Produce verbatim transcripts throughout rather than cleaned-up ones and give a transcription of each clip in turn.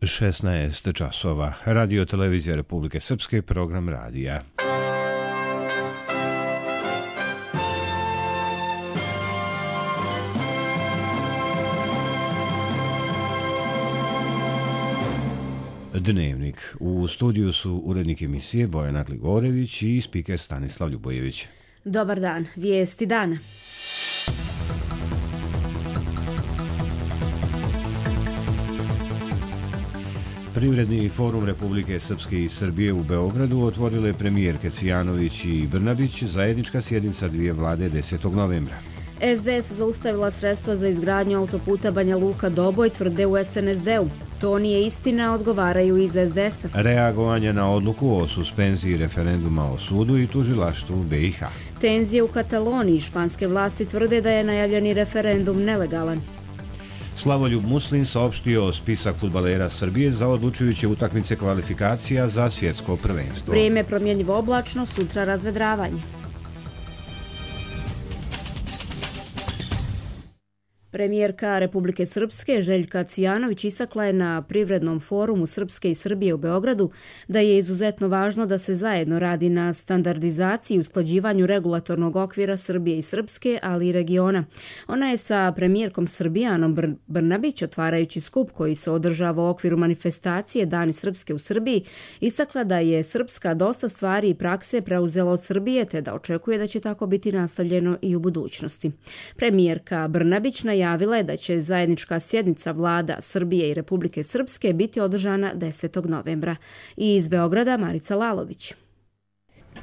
šesnaest časova. Radio televizija Republike Srpske, program radija. Dnevnik. U studiju su urednik emisije Bojana Gligorević i spiker Stanislav Ljubojević. Dobar dan. Vijesti dana. Privredni forum Republike Srpske i Srbije u Beogradu otvorile premijerke Cvijanović i Brnabić, zajednička sjednica dvije vlade desetog novembra. es de es zaustavila sredstva za izgradnju autoputa Banja Luka-Doboj, tvrde u es en es de u. To nije istina, odgovaraju iz es de es-a. Reagovanje na odluku o suspenziji referenduma o sudu i tužilaštvu be i ha. Tenzije u Kataloniji. Španske vlasti tvrde da je najavljeni referendum nelegalan. Slavoljub Muslin saopštio spisak fudbalera Srbije za odlučujuće utakmice kvalifikacija za svjetsko prvenstvo. Vrijeme promjenjivo oblačno, sutra razvedravanje. Premijerka Republike Srpske Željka Cvijanović istakla je na Privrednom forumu Srpske i Srbije u Beogradu da je izuzetno važno da se zajedno radi na standardizaciji i usklađivanju regulatornog okvira Srbije i Srpske, ali i regiona. Ona je sa premijerkom Srbije Anom Br- Brnabić, otvarajući skup koji se održava u okviru manifestacije Dani Srpske u Srbiji, istakla da je Srpska dosta stvari i prakse preuzela od Srbije, te da očekuje da će tako biti nastavljeno i u budućnosti. Premijerka Brnabić na Javila je da će zajednička sjednica vlada Srbije i Republike Srpske biti održana desetog novembra. I iz Beograda Marica Lalović.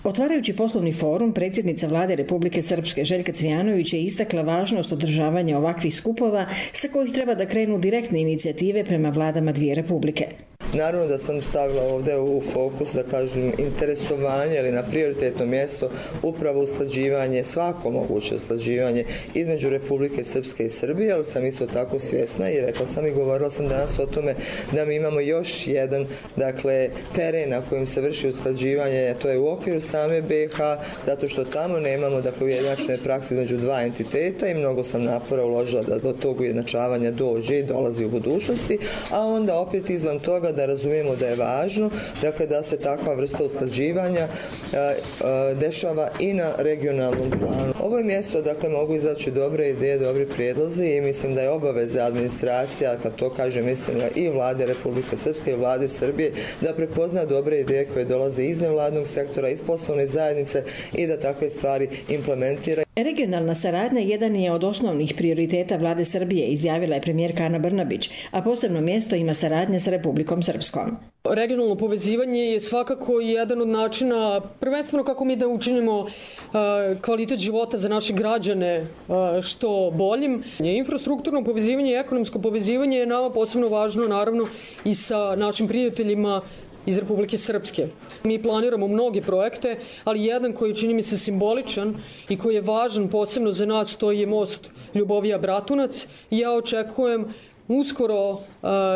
Otvarajući poslovni forum, predsjednica vlade Republike Srpske Željka Cvijanović je istakla važnost održavanja ovakvih skupova sa kojih treba da krenu direktne inicijative prema vladama dvije republike. Naravno da sam stavila ovdje u fokus, da kažem, interesovanje ili na prioritetno mjesto upravo usklađivanje, svako moguće usklađivanje između Republike Srpske i Srbije, ali sam isto tako svjesna i rekla sam i govorila sam danas o tome da mi imamo još jedan, dakle, teren na kojem se vrši usklađivanje, to je u okviru same be i ha, zato što tamo nemamo, dakle, ujednačene prakse između dva entiteta i mnogo sam napora uložila da do tog ujednačavanja dođe i dolazi u budućnosti, a onda opet izvan toga da razumijemo da je važno, dakle, da se takva vrsta usklađivanja a, a, dešava i na regionalnom planu. Ovo je mjesto, dakle, mogu izaći dobre ideje, dobri prijedlozi i mislim da je obaveza administracija, kad to kaže, mislim i vlade Republike Srpske i vlade Srbije, da prepozna dobre ideje koje dolaze iz nevladnog sektora, iz poslovne zajednice i da takve stvari implementira. Regionalna saradnja jedan je od osnovnih prioriteta vlade Srbije, izjavila je premijerka Ana Brnabić, a posebno mjesto ima saradnja sa Republikom Srpskom. Regionalno povezivanje je svakako jedan od načina, prvenstveno kako mi da učinimo uh, kvalitet života za naše građane uh, što boljim. Infrastrukturno povezivanje i ekonomsko povezivanje je nama posebno važno, naravno, i sa našim prijateljima iz Republike Srpske. Mi planiramo mnoge projekte, ali jedan koji čini mi se simboličan i koji je važan posebno za nas, to je most Ljubovija-Bratunac. I ja očekujem uskoro uh,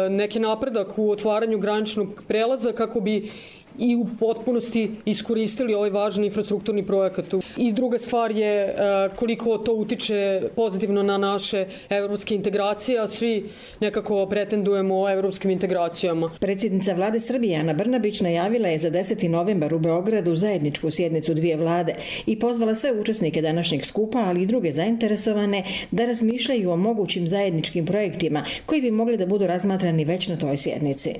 neki napredak u otvaranju graničnog prelaza kako bi i u potpunosti iskoristili ovaj važan infrastrukturni projekat. I druga stvar je koliko to utiče pozitivno na naše evropske integracije, a svi nekako pretendujemo evropskim integracijama. Predsjednica vlade Srbije Ana Brnabić najavila je za deseti novembar u Beogradu zajedničku sjednicu dvije vlade i pozvala sve učesnike današnjeg skupa, ali i druge zainteresovane, da razmišljaju o mogućim zajedničkim projektima koji bi mogli da budu razmatrani već na toj sjednici.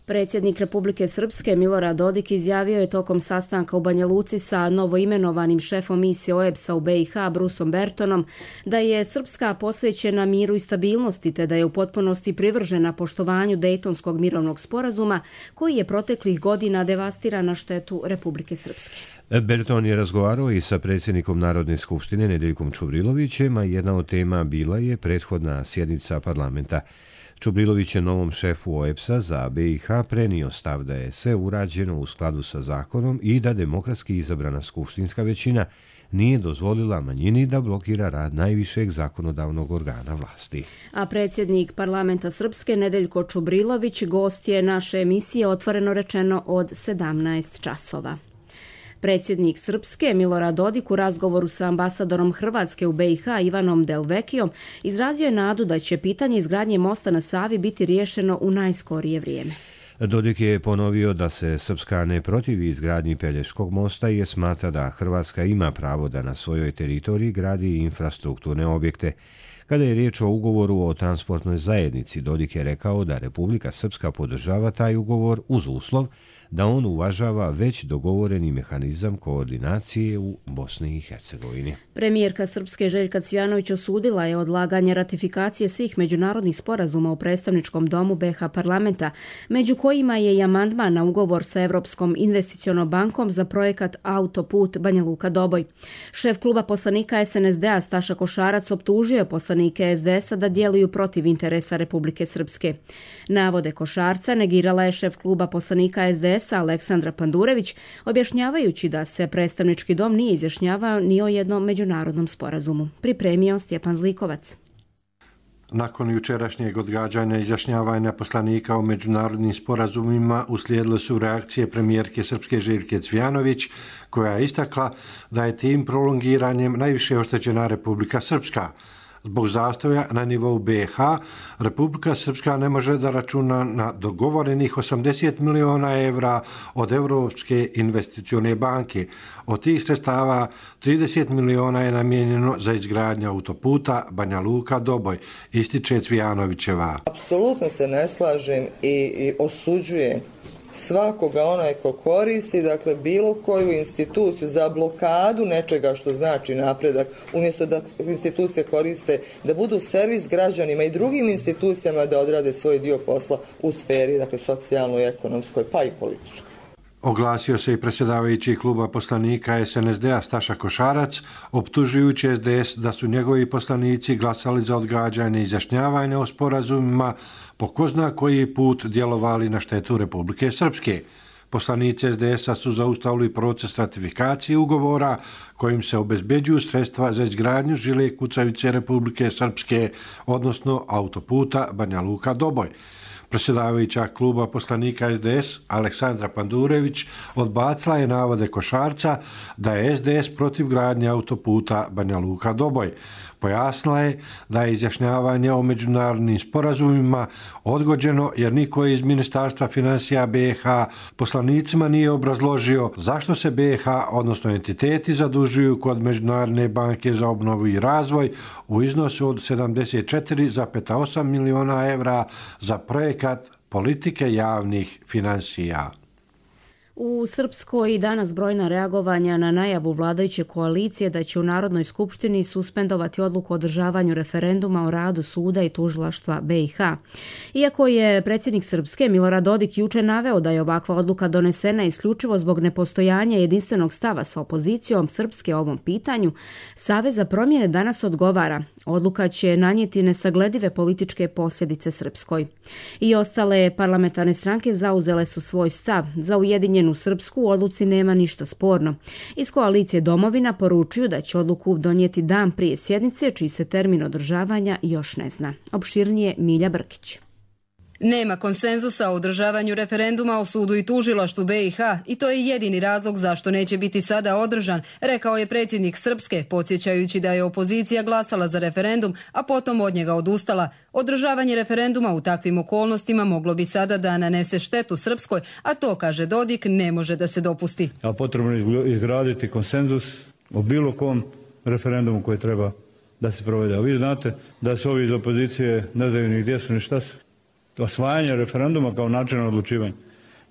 Predsjednik Republike Srpske Milorad Dodik izjavio je tokom sastanka u Banja Luci sa novoimenovanim šefom misije o e be es-a u be i ha Brusom Bertonom da je Srpska posvećena miru i stabilnosti te da je u potpunosti privržena poštovanju Dejtonskog mirovnog sporazuma koji je proteklih godina devastiran na štetu Republike Srpske. Berton je razgovarao i sa predsjednikom Narodne skupštine Nedeljkom Čubrilovićem, a jedna od tema bila je prethodna sjednica parlamenta. Čubrilović je novom šefu o e be es-a za be i ha prenio stav da je sve urađeno u skladu sa zakonom i da demokratski izabrana skupštinska većina nije dozvolila manjini da blokira rad najvišeg zakonodavnog organa vlasti. A predsjednik parlamenta Srpske Nedeljko Čubrilović gost je naše emisije Otvoreno rečeno od sedamnaest časova. Predsjednik Srpske Milorad Dodik u razgovoru sa ambasadorom Hrvatske u be i ha Ivanom Delvekijom izrazio je nadu da će pitanje izgradnje mosta na Savi biti riješeno u najskorije vrijeme. Dodik je ponovio da se Srpska ne protivi izgradnji Pelješkog mosta jer smatra da Hrvatska ima pravo da na svojoj teritoriji gradi infrastrukturne objekte. Kada je riječ o ugovoru o transportnoj zajednici, Dodik je rekao da Republika Srpska podržava taj ugovor uz uslov da on uvažava već dogovoreni mehanizam koordinacije u Bosni i Hercegovini. Premijerka Srpske Željka Cvijanović osudila je odlaganje ratifikacije svih međunarodnih sporazuma u predstavničkom domu be ha parlamenta, među kojima je i amandman na ugovor sa Europskom investicionom bankom za projekat Autoput Banja Luka-Doboj. Šef kluba poslanika es en es de a Staša Košarac optužio poslanike es de esa da djeluju protiv interesa Republike Srpske. Navode Košarca negirala je šef kluba poslanika es de esa Aleksandra Pandurević, objašnjavajući da se predstavnički dom nije izjašnjavao ni o jednom međunarodnom sporazumu. Pripremio Stjepan Zlikovac. Nakon jučerašnjeg odgađanja izjašnjavanja poslanika o međunarodnim sporazumima uslijedile su reakcije premijerke Srpske Željke Cvijanović, koja je istakla da je tim prolongiranjem najviše oštećena Republika Srpska. Zbog zastoja na nivou be ha, Republika Srpska ne može da računa na dogovorenih osamdeset miliona evra od Europske investicione banke. Od tih sredstava trideset miliona je namijenjeno za izgradnju autoputa Banja Luka-Doboj, ističe Cvijanovićeva. Apsolutno se ne slažem i, i osuđujem svakoga onaj ko koristi, dakle bilo koju instituciju za blokadu nečega što znači napredak, umjesto da institucije koriste da budu servis građanima i drugim institucijama da odrade svoj dio posla u sferi, dakle socijalnoj, ekonomskoj pa i političkoj. Oglasio se i predsjedavajući kluba poslanika es en es de a Staša Košarac, optužujući es de es da su njegovi poslanici glasali za odgađanje izjašnjavanja o sporazumima, po ko zna koji put djelovali na štetu Republike Srpske. Poslanici es de esa su zaustavili proces ratifikacije ugovora kojim se obezbeđuju sredstva za izgradnju žile kucavice Republike Srpske, odnosno autoputa Banja Luka-Doboj. Predsjedavajuća kluba poslanika es de es Aleksandra Pandurević odbacila je navode Košarca da je es de es protiv gradnje autoputa Banja Luka-Doboj. Pojasnila je da je izjašnjavanje o međunarodnim sporazumima odgođeno jer niko iz Ministarstva financija be ha poslanicima nije obrazložio zašto se be ha, odnosno entiteti, zadužuju kod Međunarodne banke za obnovu i razvoj u iznosu od sedamdeset četiri zarez osam miliona evra za projekat politike javnih financija. U Srpskoj danas brojna reagovanja na najavu vladajuće koalicije da će u Narodnoj skupštini suspendovati odluku o održavanju referenduma o radu suda i tužilaštva be i ha. Iako je predsjednik Srpske Milorad Dodik juče naveo da je ovakva odluka donesena isključivo zbog nepostojanja jedinstvenog stava sa opozicijom Srpske o ovom pitanju, Savez za promjene danas odgovara. Odluka će nanijeti nesagledive političke posljedice Srpskoj. I ostale parlamentarne stranke zauzele su svoj stav. Za Ujedinjenu Srpsku u odluci nema ništa sporno. Iz koalicije Domovina poručuju da će odluku donijeti dan prije sjednice, čiji se termin održavanja još ne zna. Opširnije Milja Brkić. Nema konsenzusa o održavanju referenduma o sudu i tužilaštvu be i ha i to je jedini razlog zašto neće biti sada održan, rekao je predsjednik Srpske, podsjećajući da je opozicija glasala za referendum, a potom od njega odustala. Održavanje referenduma u takvim okolnostima moglo bi sada da nanese štetu Srpskoj, a to, kaže Dodik, ne može da se dopusti. A potrebno je izgraditi konsenzus o bilo kom referendumu koji treba da se provede. A vi znate da se ovi iz opozicije ne znaju ni gdje su ni šta su. Osvajanje referenduma kao način odlučivanja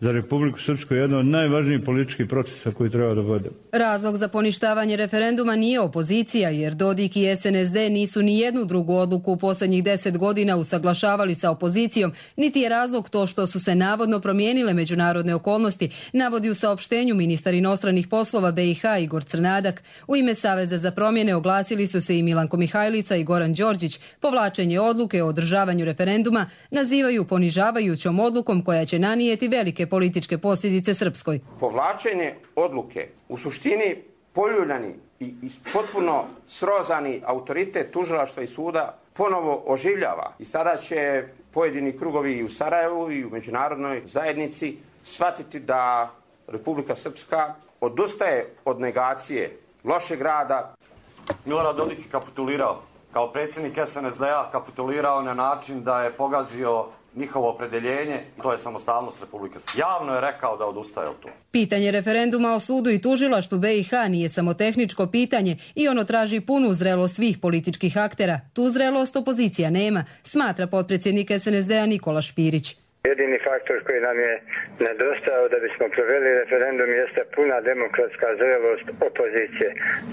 za Republiku Srpsku je jedan od najvažnijih političkih procesa koji treba da vode. Razlog za poništavanje referenduma nije opozicija, jer Dodik i es en es de nisu ni jednu drugu odluku u posljednjih deset godina usaglašavali sa opozicijom, niti je razlog to što su se navodno promijenile međunarodne okolnosti, navodi u saopštenju ministar inostranih poslova be i ha Igor Crnadak. U ime Saveza za promjene oglasili su se i Milanko Mihajlica i Goran Đorđić. Povlačenje odluke o održavanju referenduma nazivaju ponižavajućom odlukom koja će nanijeti velike političke posljedice Srpskoj. Povlačenje odluke u suštini poljuljani i potpuno srozani autoritet tužilaštva i suda ponovo oživljava i sada će pojedini krugovi i u Sarajevu i u međunarodnoj zajednici shvatiti da Republika Srpska odustaje od negacije lošeg rada. Milorad Dodik je kapitulirao. Kao predsjednik S N S D-a kapitulirao na način da je pogazio njihovo opredeljenje, to je samostalnost Republike Srpske. Javno je rekao da odustaje od toga. Pitanje referenduma o sudu i tužilaštvu B i H nije samo tehničko pitanje i ono traži punu zrelost svih političkih aktera. Tu zrelost opozicija nema, smatra potpredsjednik S N S D-a Nikola Špirić. Jedini faktor koji nam je nedostajao da bismo proveli referendum jeste puna demokratska zrelost opozicije.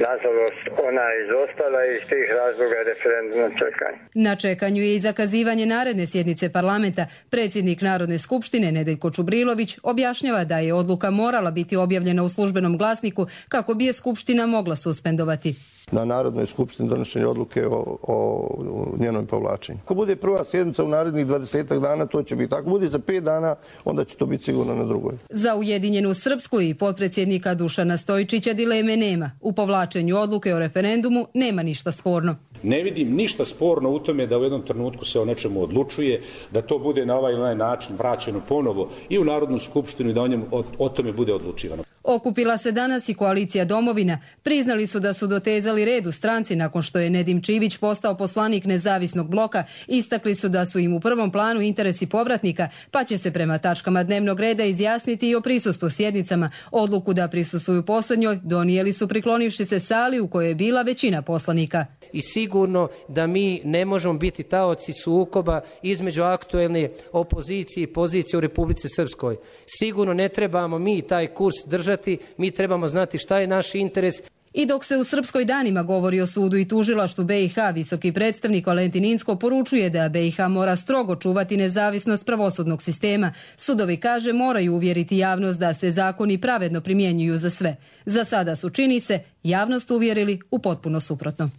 Nažalost, ona je izostala i iz tih razloga je referendum na čekanju. Na čekanju je i zakazivanje naredne sjednice parlamenta. Predsjednik Narodne skupštine Nedeljko Čubrilović objašnjava da je odluka morala biti objavljena u službenom glasniku kako bi je skupština mogla suspendovati. Na Narodnoj skupštini donošenje odluke o, o njenom povlačenju. Ako bude prva sjednica u narednih dvadesetak dana, to će biti. Ako bude za pet dana, onda će to biti sigurno na drugoj. Za Ujedinjenu Srpsku i potpredsjednika Dušana Stojčića dileme nema. U povlačenju odluke o referendumu nema ništa sporno. Ne vidim ništa sporno u tome da u jednom trenutku se o nečemu odlučuje, da to bude na ovaj ili onaj način vraćeno ponovo i u Narodnu skupštinu i da o, njemu, o, o tome bude odlučivano. Okupila se danas i koalicija Domovina. Priznali su da su dotezali red u stranci nakon što je Nedim Čivić postao poslanik nezavisnog bloka. Istakli su da su im u prvom planu interesi povratnika, pa će se prema tačkama dnevnog reda izjasniti i o prisustvu sjednicama. Odluku da prisustvuju posljednjoj donijeli su priklonivši se sali u kojoj je bila većina poslanika. I sigurno da mi ne možemo biti taoci sukoba između aktuelne opozicije i pozicije u Republici Srpskoj. Sigurno ne trebamo mi taj kurs držati, mi trebamo znati šta je naš interes. I dok se u Srpskoj danima govori o sudu i tužilaštvu B i H, visoki predstavnik Valentin Incko poručuje da B i H mora strogo čuvati nezavisnost pravosudnog sistema. Sudovi, kaže, moraju uvjeriti javnost da se zakoni pravedno primjenjuju za sve. Za sada su, čini se, javnost uvjerili u potpuno suprotno.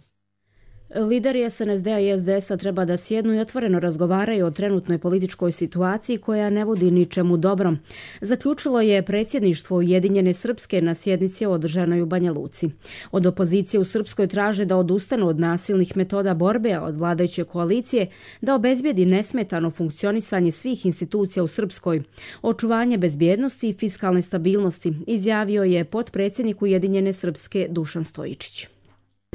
Lideri S N S D-a i S D S-a treba da sjednu i otvoreno razgovaraju o trenutnoj političkoj situaciji koja ne vodi ničemu dobrom. Zaključilo je predsjedništvo Ujedinjene Srpske na sjednici održanoj u Banja Luci. Od opozicije u Srpskoj traže da odustanu od nasilnih metoda borbe, a od vladajuće koalicije da obezbijedi nesmetano funkcionisanje svih institucija u Srpskoj, očuvanje bezbjednosti i fiskalne stabilnosti, izjavio je potpredsjednik Ujedinjene Srpske Dušan Stojičić.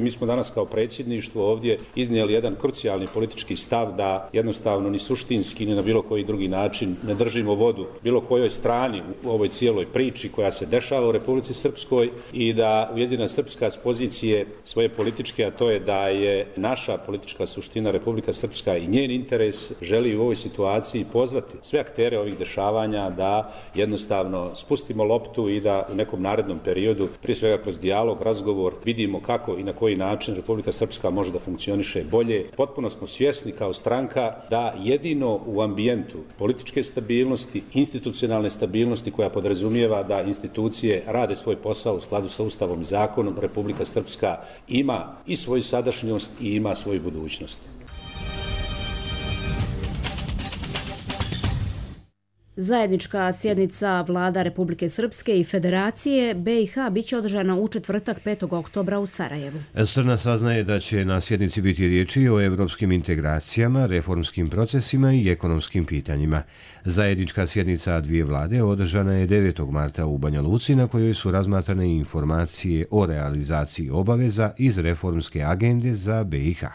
Mi smo danas kao predsjedništvo ovdje iznijeli jedan krucijalni politički stav da jednostavno ni suštinski ni na bilo koji drugi način ne držimo vodu bilo kojoj strani u ovoj cijeloj priči koja se dešava u Republici Srpskoj i da Ujedinjena Srpska s pozicije svoje političke, a to je da je naša politička suština Republika Srpska i njen interes, želi u ovoj situaciji pozvati sve aktere ovih dešavanja da jednostavno spustimo loptu i da u nekom narednom periodu, prije svega kroz dijalog, razgovor, vidimo kako i na koji način Republika Srpska može da funkcioniše bolje. Potpuno smo svjesni kao stranka da jedino u ambijentu političke stabilnosti, institucionalne stabilnosti koja podrazumijeva da institucije rade svoj posao u skladu sa Ustavom i zakonom, Republika Srpska ima i svoju sadašnjost i ima svoju budućnost. Zajednička sjednica vlada Republike Srpske i Federacije B i H biće održana u četvrtak petog oktobra u Sarajevu. Srna saznaje da će na sjednici biti riječi o evropskim integracijama, reformskim procesima i ekonomskim pitanjima. Zajednička sjednica dvije vlade održana je devetog marta u Banja Luci, na kojoj su razmatrane informacije o realizaciji obaveza iz reformske agende za B i H.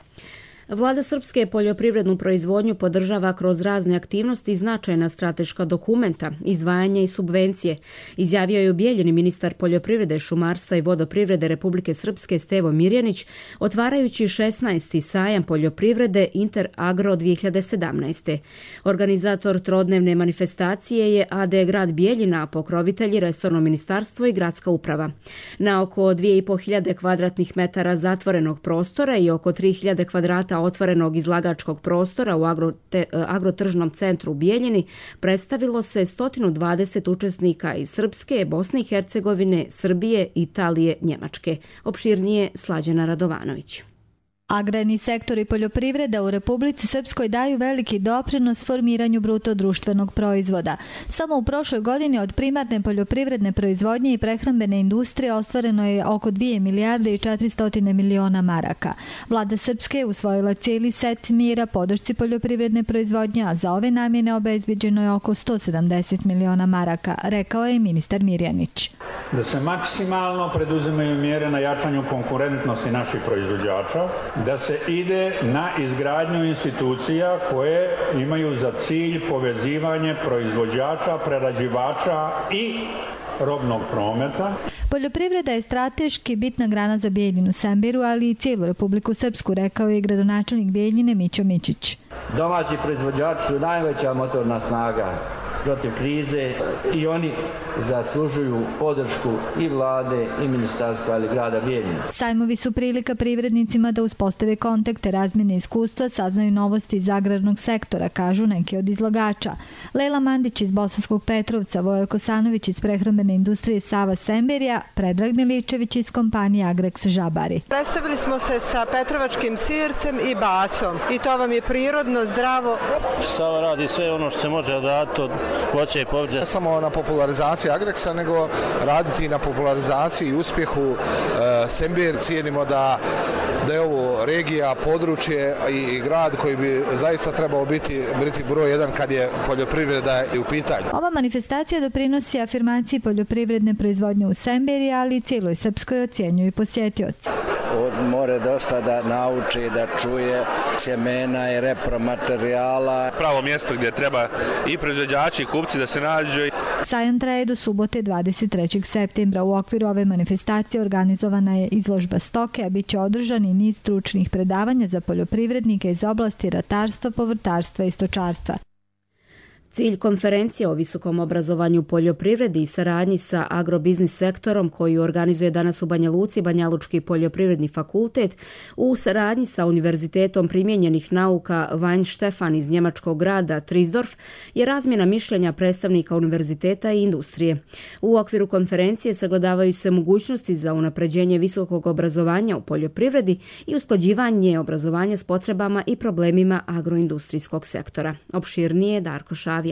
Vlada Srpske poljoprivrednu proizvodnju podržava kroz razne aktivnosti i značajna strateška dokumenta, izdvajanja i subvencije, izjavio je u Bijeljini ministar poljoprivrede, šumarstva i vodoprivrede Republike Srpske Stevo Mirjanić, otvarajući šesnaesti sajam poljoprivrede Inter Agro dvije hiljade sedamnaeste. Organizator trodnevne manifestacije je A D grad Bijeljina, a pokrovitelji resorno ministarstvo i gradska uprava. Na oko dvije i po hiljade kvadratnih metara zatvorenog prostora i oko tri hiljade kvadrata otvorenog izlagačkog prostora u agrote, agrotržnom centru u Bijeljini predstavilo se sto dvadeset učesnika iz Srpske, Bosne i Hercegovine, Srbije, Italije, Njemačke. Opširnije Slađana Radovanović. Agrarni sektor i poljoprivreda u Republici Srpskoj daju veliki doprinos formiranju bruto društvenog proizvoda. Samo u prošloj godini od primarne poljoprivredne proizvodnje i prehrambene industrije ostvareno je oko dvije milijarde i četiristo miliona maraka. Vlada Srpske je usvojila cijeli set mjera podršci poljoprivredne proizvodnje, a za ove namjene obezbeđeno je oko sto sedamdeset miliona maraka, rekao je ministar Mirjanić. da se maksimalno preduzimaju mjere na jačanju konkurentnosti naših proizvođača, da se ide na izgradnju institucija koje imaju za cilj povezivanje proizvođača, prerađivača i robnog prometa. Poljoprivreda je strateški bitna grana za Bijeljinu Sembiru, ali i cijelu Republiku Srpsku, rekao je gradonačelnik Bijeljine Mićo Mićić. Domaći proizvođači su najveća motorna snaga protiv krize i oni zaslužuju podršku i vlade i ministarstva ali grada Bijeljine. Sajmovi su prilika privrednicima da uspostave kontakte, razmjene iskustva, saznaju novosti iz agrarnog sektora, kažu neki od izlagača. Lela Mandić iz Bosanskog Petrovca, Vojo Kosanović iz prehrambene industrije Sava Semberija, Predrag Miličević iz kompanije Agrex Žabari. Predstavili smo se sa petrovačkim sircem i basom i to vam je prirodno, zdravo. Sava radi sve ono što se može odraditi od voća i povrća. Ne samo na popularizaciji Agrexa, nego raditi i na popularizaciji i uspjehu e, Sember. Cijenimo da, da je ovo regija, područje i, i grad koji bi zaista trebao biti, biti broj jedan kad je poljoprivreda u pitanju. Ova manifestacija doprinosi afirmaciji poljoprivredne proizvodnje u Semberi, ali i cijeloj Srpskoj, ocjenjuju i posjetioci. More dosta da nauči, da čuje sjemena i repromaterijala. Pravo mjesto gdje treba i proizvođači i kupci da se nađu. Sajam traje do subote dvadeset trećeg septembra. U okviru ove manifestacije organizovana je izložba stoke, a bit će održan i niz stručnih predavanja za poljoprivrednike iz oblasti ratarstva, povrtarstva i stočarstva. Cilj konferencije o visokom obrazovanju, poljoprivredi i saradnji sa agrobiznis sektorom koju organizuje danas u Banja Luci Banjalučki poljoprivredni fakultet u saradnji sa Univerzitetom primijenjenih nauka Weinstefan iz njemačkog grada Trisdorf je razmjena mišljenja predstavnika univerziteta i industrije. U okviru konferencije sagledavaju se mogućnosti za unapređenje visokog obrazovanja u poljoprivredi i usklađivanje obrazovanja s potrebama i problemima agroindustrijskog sektora. Opširnije Darko Šavija.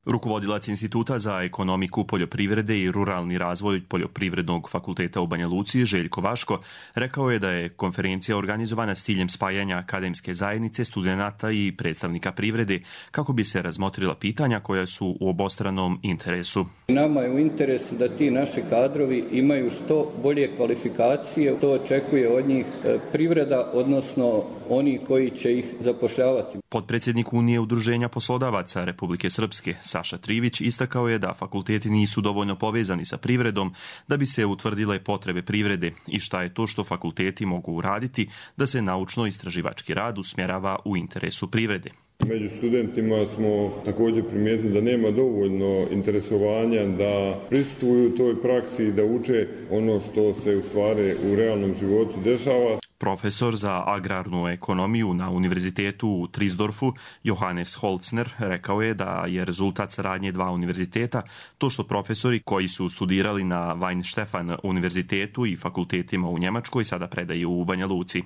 Rukovodilac Instituta za ekonomiku poljoprivrede i ruralni razvoj Poljoprivrednog fakulteta u Banja Luci, Željko Vaško, rekao je da je konferencija organizovana s ciljem spajanja akademske zajednice, studenata i predstavnika privrede kako bi se razmotrila pitanja koja su u obostranom interesu. Nama je u interesu da ti naši kadrovi imaju što bolje kvalifikacije, to očekuje od njih privreda, odnosno oni koji će ih zapošljavati. Potpredsjednik Unije udruženja poslodavaca Republike Srpske, Saša Trivić, istakao je da fakulteti nisu dovoljno povezani sa privredom da bi se utvrdile potrebe privrede i šta je to što fakulteti mogu uraditi da se naučno-istraživački rad usmjerava u interesu privrede. Među studentima smo također primijetili da nema dovoljno interesovanja da pristupaju toj praksi i da uče ono što se u stvari u realnom životu dešava. Profesor za agrarnu ekonomiju na Univerzitetu u Trisdorfu, Johannes Holzner, rekao je da je rezultat saradnje dva univerziteta to što profesori koji su studirali na Weinstefan univerzitetu i fakultetima u Njemačkoj sada predaju u Banja Luci.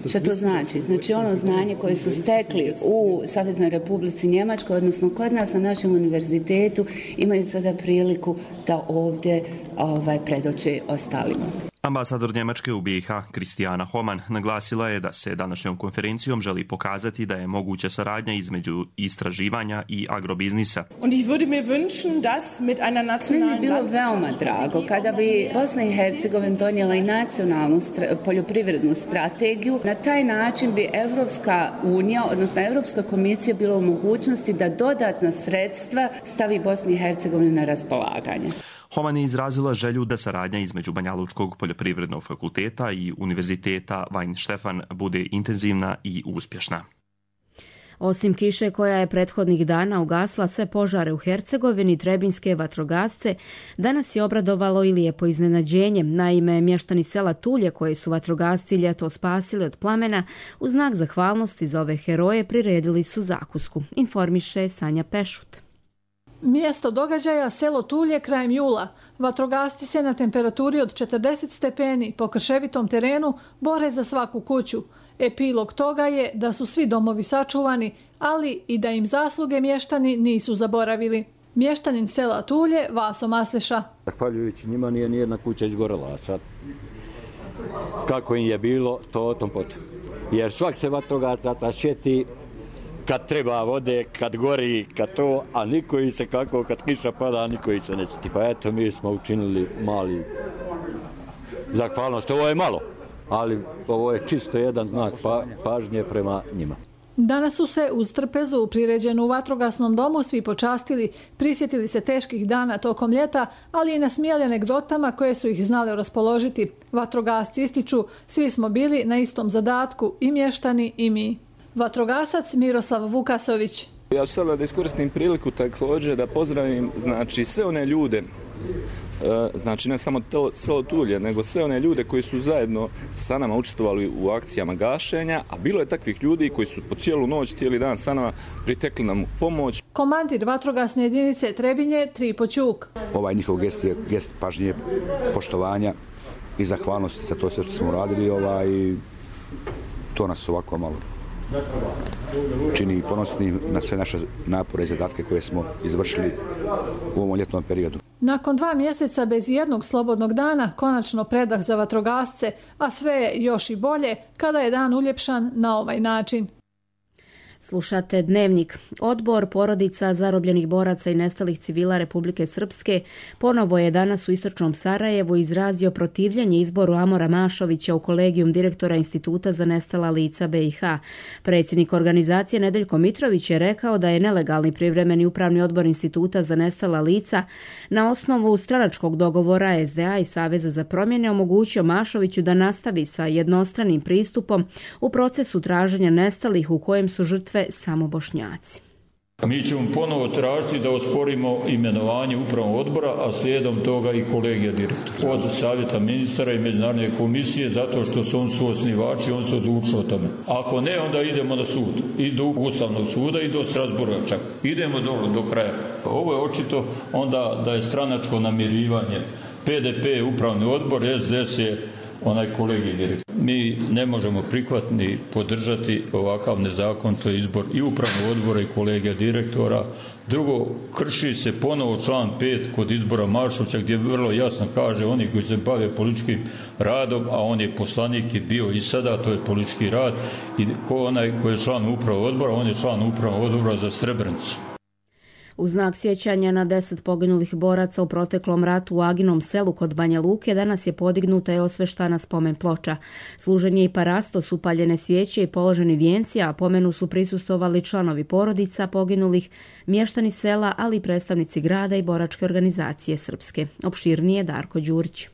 Što to znači? Znači ono znanje koje su stekli u Saveznoj Republici Njemačkoj, odnosno kod nas na našem univerzitetu, imaju sada priliku da ovdje ovaj, predoče ostalima. Ambasador Njemačke u B i H Kristijana Homan naglasila je da se današnjom konferencijom želi pokazati da je moguća saradnja između istraživanja i agrobiznisa. Meni bi bilo veoma drago kada bi Bosna i Hercegovina donijela i nacionalnu poljoprivrednu strategiju. Na taj način bi Evropska unija, odnosno Evropska komisija bila u mogućnosti da dodatna sredstva stavi Bosni i Hercegovini na raspolaganje. Homan je izrazila želju da saradnja između Banjalučkog poljoprivrednog fakulteta i Univerziteta Weinstefan bude intenzivna i uspješna. Osim kiše koja je prethodnih dana ugasla sve požare u Hercegovini, trebinjske vatrogasce danas je obradovalo i lijepo iznenađenje. Naime, mještani sela Tulje koje su vatrogasci ljeto spasili od plamena u znak zahvalnosti za ove heroje priredili su zakusku, informiše Sanja Pešut. Mjesto događaja selo Tulje krajem jula. Vatrogasci se na temperaturi od četrdeset stepeni po krševitom terenu bore za svaku kuću. Epilog toga je da su svi domovi sačuvani, ali i da im zasluge mještani nisu zaboravili. Mještanin sela Tulje, Vaso Masleša. Zahvaljujući njima nije nijedna kuća izgorela. Sad, kako im je bilo, to o tom potom. Jer svak se vatrogasaca sjeti kad treba vode, kad gori, kad to, a niko i se kako, kad kiša pada, niko i se ne siti. Pa eto, mi smo učinili mali zahvalnost. Ovo je malo, ali ovo je čisto jedan znak pa, pažnje prema njima. Danas su se uz trpezu priređenu u vatrogasnom domu svi počastili, prisjetili se teških dana tokom ljeta, ali i nasmijali anegdotama koje su ih znale raspoložiti. Vatrogasci ističu, svi smo bili na istom zadatku, i mještani i mi. Vatrogasac Miroslav Vukasović. Ja ću sada da iskoristim priliku također da pozdravim znači, sve one ljude, znači ne samo to selo Tulje, nego sve one ljude koji su zajedno sa nama učestvovali u akcijama gašenja, a bilo je takvih ljudi koji su po cijelu noć, cijeli dan sa nama pritekli nam pomoć. Komandir vatrogasne jedinice Trebinje, Tripo Ćuk. Ovaj njihov gest je gest pažnje, poštovanja i zahvalnosti za to sve što smo uradili, ovaj, to nas ovako malo čini ponosni na sve naše napore i zadatke koje smo izvršili u ovom ljetnom periodu. Nakon dva mjeseca bez jednog slobodnog dana, konačno predah za vatrogasce, a sve je još i bolje kada je dan uljepšan na ovaj način. Slušate Dnevnik. Odbor porodica zarobljenih boraca i nestalih civila Republike Srpske ponovo je danas u istočnom Sarajevu izrazio protivljenje izboru Amora Mašovića u kolegijum direktora Instituta za nestala lica B i H. Predsjednik organizacije Nedeljko Mitrović je rekao da je nelegalni privremeni upravni odbor Instituta za nestala lica na osnovu stranačkog dogovora S D A i Saveza za promjene omogućio Mašoviću da nastavi sa jednostranim pristupom u procesu traženja nestalih u kojem su žrtve samo Bošnjaci. Mi ćemo ponovo tražiti da osporimo imenovanje upravnog odbora, a slijedom toga i kolegija direktora. Od savjeta ministara i međunarodne komisije, zato što su on su osnivači, on se odlučio o tome. Ako ne, onda idemo na sud. I do Ustavnog suda i do Strasburga čak. Idemo do, do kraja. Ovo je očito onda da je stranačko namirivanje. P D P je upravni odbor, S D S je onaj kolegij direktor. Mi ne možemo prihvatiti ni podržati ovakav nezakonito izbor i upravnog odbora i kolegija direktora. Drugo, krši se ponovo član pet kod izbora Mašovića gdje vrlo jasno kaže oni koji se bave političkim radom, a on je poslanik i bio i sada, to je politički rad, i ko onaj koji je član upravnog odbora, on je član upravnog odbora za Srebrenicu. U znak sjećanja na deset poginulih boraca u proteklom ratu u Aginom selu kod Banja Luke danas je podignuta i osveštana spomen ploča. Služen je i parastos, upaljene svijeće i položeni vijenci, a pomenu su prisustovali članovi porodica poginulih, mještani sela, ali i predstavnici grada i boračke organizacije Srpske. Opširnije Darko Đurić.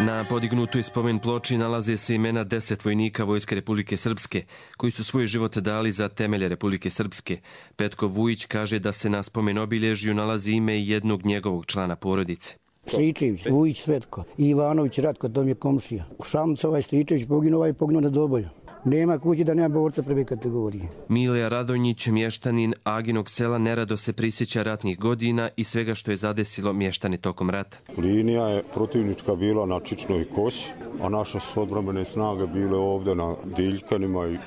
Na podignutoj spomen ploči nalaze se imena deset vojnika Vojske Republike Srpske, koji su svoj život dali za temelje Republike Srpske. Petko Vujić kaže da se na spomen obilježju nalazi ime jednog njegovog člana porodice. Stričević, Vujić Svetko, Ivanović Ratko, to mi je komšija. Šamca ovaj Stričević poginuo, ovaj poginuo na Doboju. Nema kući da nema borca prve kategorije. Milija Radonjić, mještanin Aginog sela, nerado se prisjeća ratnih godina i svega što je zadesilo mještane tokom rata. Linija je protivnička bila na Čičnoj kosi, a naše su odbrambene snage bile ovdje na Diljkanima i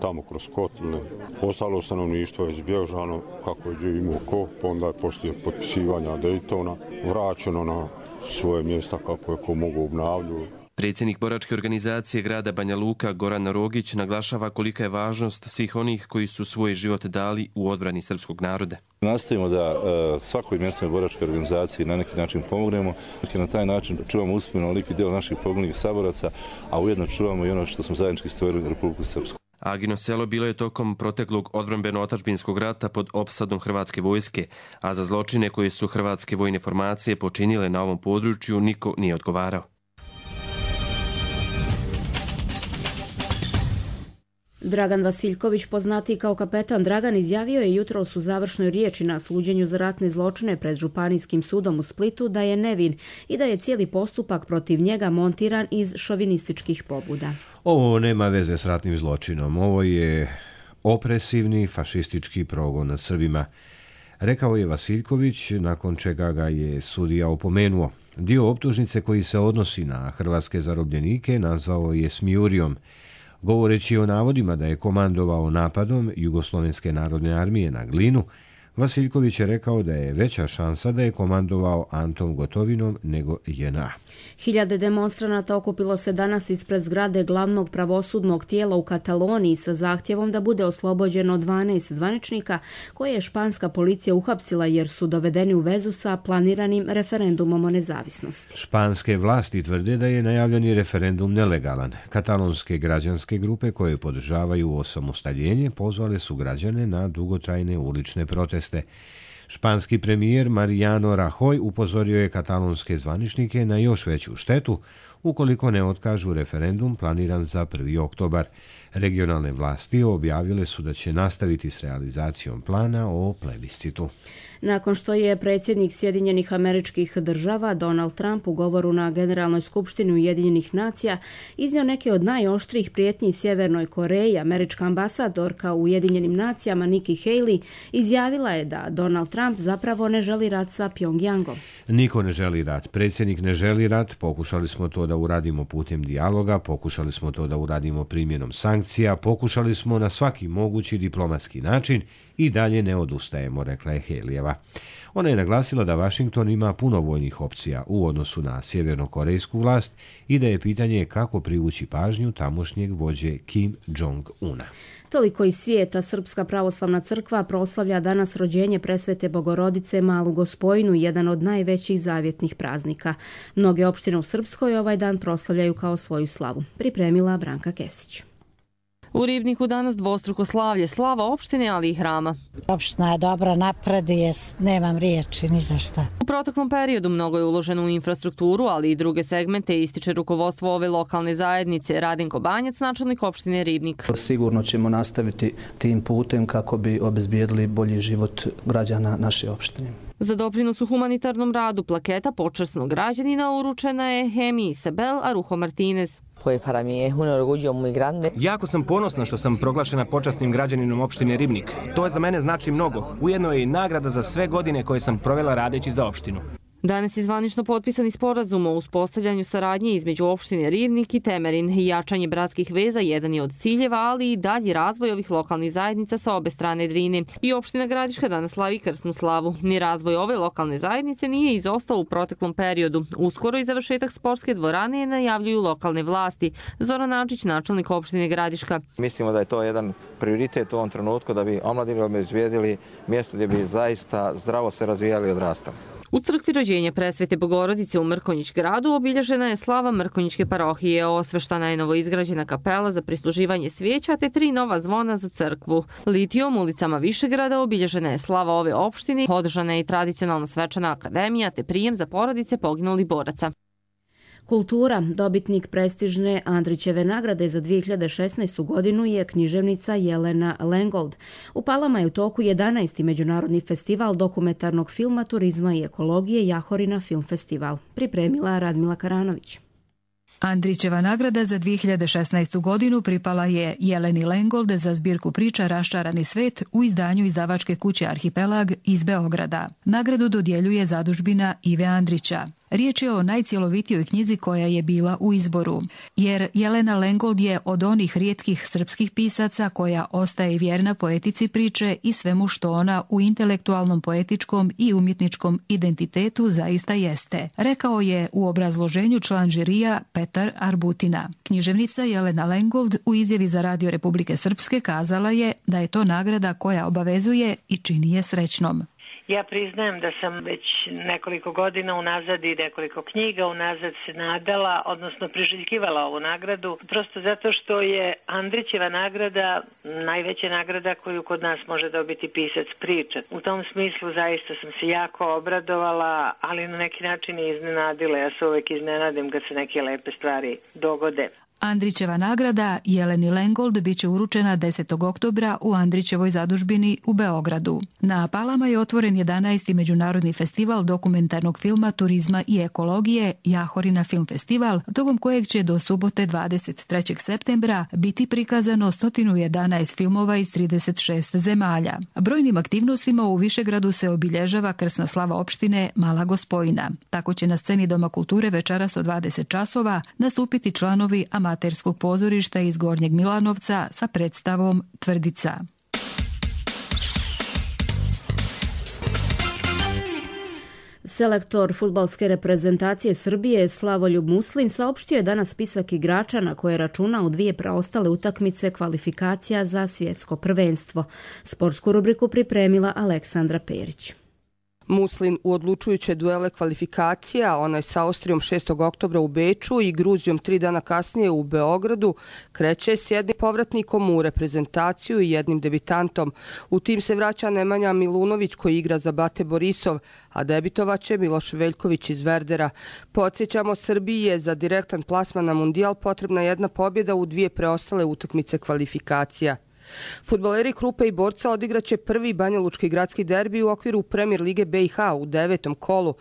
tamo kroz Kotline. Ostalo stanovništvo je zbježano kako je živimo ko, pa onda je poslije potpisivanja Daytona vraćeno na svoje mjesta kako je ko mogu obnavljati. Predsjednik boračke organizacije grada Banja Luka Goran Rogić naglašava kolika je važnost svih onih koji su svoj život dali u odbrani srpskog naroda. Nastavimo da uh, svakoj mjesnoj boračkoj organizaciji na neki način pomognemo, i na taj način čuvamo uspješno veliki dio naših poginulih saboraca, a ujedno čuvamo i ono što smo zajednički stvorili u Republiku Srpsku. Agino selo bilo je tokom proteklog odbrambeno-otadžbinskog rata pod opsadom hrvatske vojske, a za zločine koje su hrvatske vojne formacije počinile na ovom području niko nije odgovarao. Dragan Vasiljković, poznatiji kao kapetan Dragan, izjavio je jutros u završnoj riječi na suđenju za ratne zločine pred Županijskim sudom u Splitu da je nevin i da je cijeli postupak protiv njega montiran iz šovinističkih pobuda. Ovo nema veze s ratnim zločinom. Ovo je opresivni fašistički progon nad Srbima, rekao je Vasiljković, nakon čega ga je sudija opomenuo. Dio optužnice koji se odnosi na hrvatske zarobljenike nazvao je smijurijom, govoreći o navodima da je komandovao napadom Jugoslovenske narodne armije na Glinu. Vasiljković je rekao da je veća šansa da je komandovao Antom Gotovinom nego J N A. Hiljade demonstranata okupilo se danas ispred zgrade glavnog pravosudnog tijela u Kataloniji sa zahtjevom da bude oslobođeno dvanaest zvaničnika koje je španska policija uhapsila jer su dovedeni u vezu sa planiranim referendumom o nezavisnosti. Španske vlasti tvrde da je najavljeni referendum nelegalan. Katalonske građanske grupe koje podržavaju osamostaljenje pozvale su građane na dugotrajne ulične proteste. Španski premijer Mariano Rajoy upozorio je katalonske zvaničnike na još veću štetu ukoliko ne otkažu referendum planiran za prvi oktobar. Regionalne vlasti objavile su da će nastaviti s realizacijom plana o plebiscitu. Nakon što je predsjednik Sjedinjenih Američkih Država Donald Trump u govoru na Generalnoj skupštini Ujedinjenih nacija iznio neke od najoštrijih prijetnji Sjevernoj Koreji, američka ambasadorka u Ujedinjenim nacijama Nikki Haley izjavila je da Donald Trump zapravo ne želi rat sa Pjongjangom. Niko ne želi rat. Predsjednik ne želi rat. Pokušali smo to da uradimo putem dijaloga, pokušali smo to da uradimo primjenom sankcija, pokušali smo na svaki mogući diplomatski način i dalje ne odustajemo, rekla je Haleyeva. Ona je naglasila da Washington ima puno vojnih opcija u odnosu na sjevernokorejsku vlast i da je pitanje kako privući pažnju tamošnjeg vođe Kim Jong-una. Toliko iz svijeta. Srpska pravoslavna crkva proslavlja danas rođenje presvete Bogorodice Malu Gospojinu, jedan od najvećih zavjetnih praznika. Mnoge opštine u Srpskoj ovaj dan proslavljaju kao svoju slavu. Pripremila Branka Kesić. U Ribniku danas dvostruko slavlje, slava opštine, ali i hrama. Opština je dobra, napreduje, nemam riječi ni za šta. U proteklom periodu mnogo je uloženo u infrastrukturu, ali i druge segmente, ističe rukovodstvo ove lokalne zajednice. Radinko Banjac, načelnik opštine Ribnik. Sigurno ćemo nastaviti tim putem kako bi obezbijedili bolji život građana naše opštine. Za doprinos u humanitarnom radu plaketa počasnog građanina uručena je Hemi Isabel Arujo Martinez. Jako sam ponosna što sam proglašena počasnim građaninom opštine Ribnik. To za mene znači mnogo. Ujedno je i nagrada za sve godine koje sam provela radeći za opštinu. Danas je zvanično potpisani sporazum o uspostavljanju saradnje između opštine Ribnik i Temerin. Jačanje bratskih veza jedan je od ciljeva, ali i dalji razvoj ovih lokalnih zajednica sa obe strane Drine. I opština Gradiška danas slavi krsnu slavu. Ni razvoj ove lokalne zajednice nije izostao u proteklom periodu. Uskoro i završetak sportske dvorane najavljuju lokalne vlasti. Zoran Načić, načelnik opštine Gradiška. Mislimo da je to jedan prioritet u ovom trenutku da bi omladini obezbijedili mjesto gdje bi zaista zdravo se razvijali i odrastali. U crkvi rođenja presvete Bogorodice u Mrkonjić gradu obilježena je slava Mrkonjićke parohije, osveštana je novoizgrađena kapela za prisluživanje svijeća te tri nova zvona za crkvu. Litijom ulicama Višegrada obilježena je slava ove opštine, održana je i tradicionalna svečana akademija te prijem za porodice poginulih boraca. Kultura, dobitnik prestižne Andrićeve nagrade za dvije hiljade šesnaestu godinu je književnica Jelena Lengold. U Palama je u toku jedanaesti međunarodni festival dokumentarnog filma, turizma i ekologije Jahorina film festival. Pripremila Radmila Karanović. Andrićeva nagrada za dvije hiljade šesnaestu godinu pripala je Jeleni Lengold za zbirku priča Raščarani svet u izdanju izdavačke kuće Arhipelag iz Beograda. Nagradu dodjeljuje zadužbina Ive Andrića. Riječ je o najcjelovitijoj knjizi koja je bila u izboru, jer Jelena Lengold je od onih rijetkih srpskih pisaca koja ostaje vjerna poetici priče i svemu što ona u intelektualnom, poetičkom i umjetničkom identitetu zaista jeste, rekao je u obrazloženju član žirija Petar Arbutina. Književnica Jelena Lengold u izjavi za Radio Republike Srpske kazala je da je to nagrada koja obavezuje i čini je srećnom. Ja priznajem da sam već nekoliko godina unazad i nekoliko knjiga unazad se nadala, odnosno priželjkivala ovu nagradu, prosto zato što je Andrićeva nagrada najveća nagrada koju kod nas može dobiti pisac priča. U tom smislu zaista sam se jako obradovala, ali na neki način i iznenadila. Ja se uvek iznenadim kad se neke lepe stvari dogode. Andrićeva nagrada Jeleni Lengold bit će uručena desetog oktobra u Andrićevoj zadužbini u Beogradu. Na Palama je otvoren jedanaesti međunarodni festival dokumentarnog filma, turizma i ekologije Jahorina film festival, tokom kojeg će do subote dvadeset trećeg septembra biti prikazano sto jedanaest filmova iz trideset šest zemalja. Brojnim aktivnostima u Višegradu se obilježava krsna slava opštine Mala Gospojina. Tako će na sceni Doma kulture večeras od dvadeset časova nastupiti članovi amaterskog pozorišta iz Gornjeg Milanovca sa predstavom Tvrdica. Selektor fudbalske reprezentacije Srbije Slavoljub Muslin saopštio je danas spisak igrača na koje računa u dvije preostale utakmice kvalifikacija za svjetsko prvenstvo. Sportsku rubriku pripremila Aleksandra Perić. Muslin u odlučujuće duele kvalifikacija, onaj sa Austrijom šestog oktobra u Beču i Gruzijom tri dana kasnije u Beogradu, kreće s jednim povratnikom u reprezentaciju i jednim debitantom. U tim se vraća Nemanja Milunović koji igra za Bate Borisov, a debitovaće Miloš Veljković iz Verdera. Podsjećamo, Srbiji je za direktan plasman na Mundijal potrebna jedna pobjeda u dvije preostale utakmice kvalifikacija. Fudbaleri Krupe i Borca odigraće prvi banjalučki gradski derbi u okviru Premier lige B i H u devetom kolu.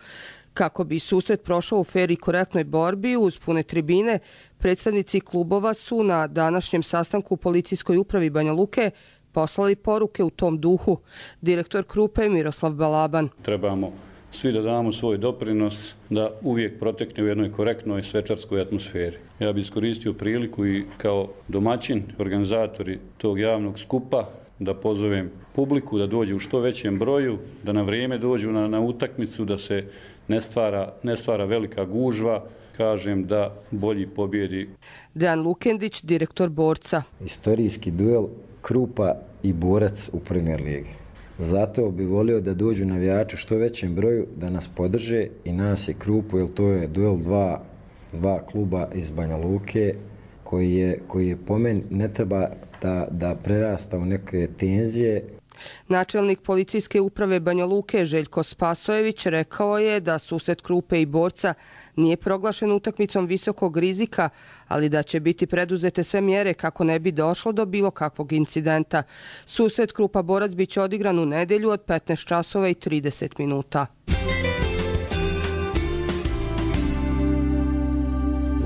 Kako bi susret prošao u fer i korektnoj borbi uz pune tribine, predstavnici klubova su na današnjem sastanku u policijskoj upravi Banja Luke poslali poruke u tom duhu. Direktor Krupe Miroslav Balaban. Trebamo svi da damo svoj doprinos da uvijek protekne u jednoj korektnoj svečarskoj atmosferi. Ja bih iskoristio priliku i kao domaćin, organizatori tog javnog skupa, da pozovem publiku da dođe u što većem broju, da na vrijeme dođu na, na utakmicu, da se ne stvara, ne stvara velika gužva, kažem da bolji pobjedi. Dejan Lukendić, direktor Borca. Istorijski duel Krupa i Borac u Premier ligi. Zato bi volio da dođu navijači u što većem broju, da nas podrže i nas je Krupu, jer to je duel dva, dva kluba iz Banja Luke koji je, koji je po meni ne treba da, da prerasta u neke tenzije. Načelnik policijske uprave Banja Luke Željko Spasojević rekao je da susret Krupe i Borca nije proglašen utakmicom visokog rizika, ali da će biti preduzete sve mjere kako ne bi došlo do bilo kakvog incidenta. Susret Krupa Borac biće odigran u nedjelju od petnaest časova i trideset minuta.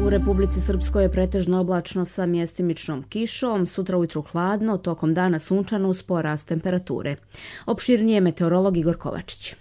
U Republici Srpskoj je pretežno oblačno sa mjestimičnom kišom, sutra ujutru hladno, tokom dana sunčano uz porast temperature. Opširnije meteorolog Igor Kovačić.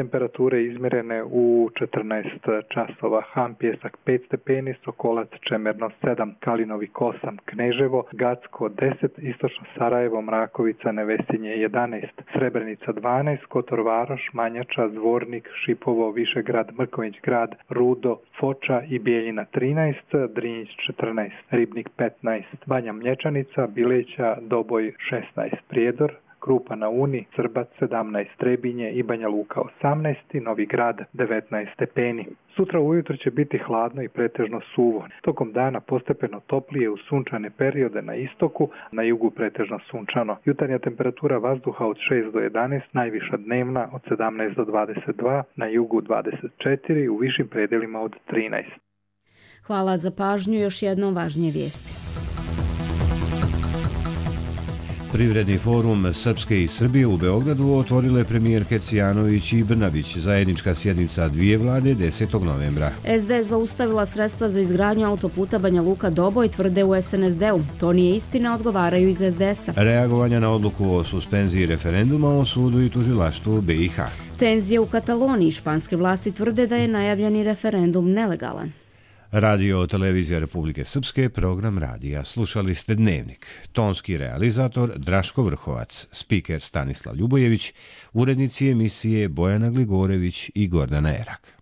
Temperature izmjerene u četrnaest časova. Han Pjesak pet stepeni, Sokolac Čemerno sedam, Kalinovik osam, Kneževo, Gacko deset, Istočno Sarajevo, Mrakovica, Nevesinje jedanaest, Srebrenica dvanaest, Kotor Varoš, Manjača, Zvornik, Šipovo, Višegrad, Mrković grad, Rudo, Foča i Bijeljina trinaest, Drinjić četrnaest, Ribnik petnaest, Banja Mlječanica, Bileća, Doboj šesnaest, Prijedor, Krupa na Uni, Srbac sedamnaest, Trebinje i Banja Luka osamnaest, Novi Grad devetnaest stepeni. Sutra ujutro će biti hladno i pretežno suvo. Tokom dana postepeno toplije u sunčane periode na istoku, na jugu pretežno sunčano. Jutarnja temperatura vazduha od šest do jedanaest, najviša dnevna od sedamnaest do dvadeset dva, na jugu dvadeset četiri, u višim predelima od trinaest. Hvala za pažnju, još jednom važnije vijesti. Privredni forum Srpske i Srbije u Beogradu otvorile premijerke Cijanović i Brnabić. Zajednička sjednica dvije vlade desetog novembra. es de es zaustavila sredstva za izgradnju autoputa Banja Luka-Doboj, tvrde u es en es de u. To nije istina, odgovaraju iz es de es a. Reagovanja na odluku o suspenziji referenduma o sudu i tužilaštvu be i ha. Tenzije u Kataloniji. Španske vlasti tvrde da je najavljeni referendum nelegalan. Radio Televizija Republike Srpske, program radija. Slušali ste Dnevnik. Tonski realizator Draško Vrhovac, spiker Stanislav Ljubojević, urednici emisije Bojana Gligorević i Gordana Erak.